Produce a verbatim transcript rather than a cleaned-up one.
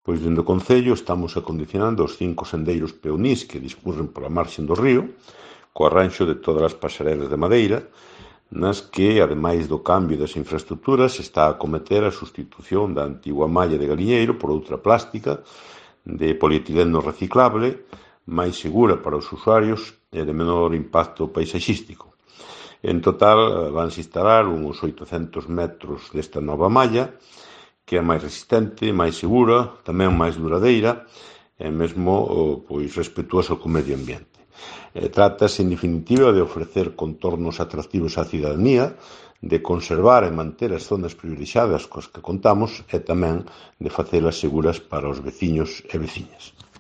Pois dende o Concello estamos acondicionando os cinco sendeiros peonís que discurren pola marxe do río, co arranxo de todas as pasarelas de madeira, nas que, ademais do cambio das infraestructuras, está a acometer a sustitución da antigua malla de galiñeiro por outra plástica de polietileno reciclable, máis segura para os usuarios e de menor impacto paisaxístico. En total, vanse instalar uns oitocentos metros desta nova malla, que é máis resistente, máis segura, tamén máis duradeira e mesmo pois, respetuosa co medio ambiente. Trátase, en definitiva, de ofrecer contornos atractivos á cidadanía, de conservar e manter as zonas privilexiadas coas que contamos e tamén de facelas seguras para os veciños e veciñas.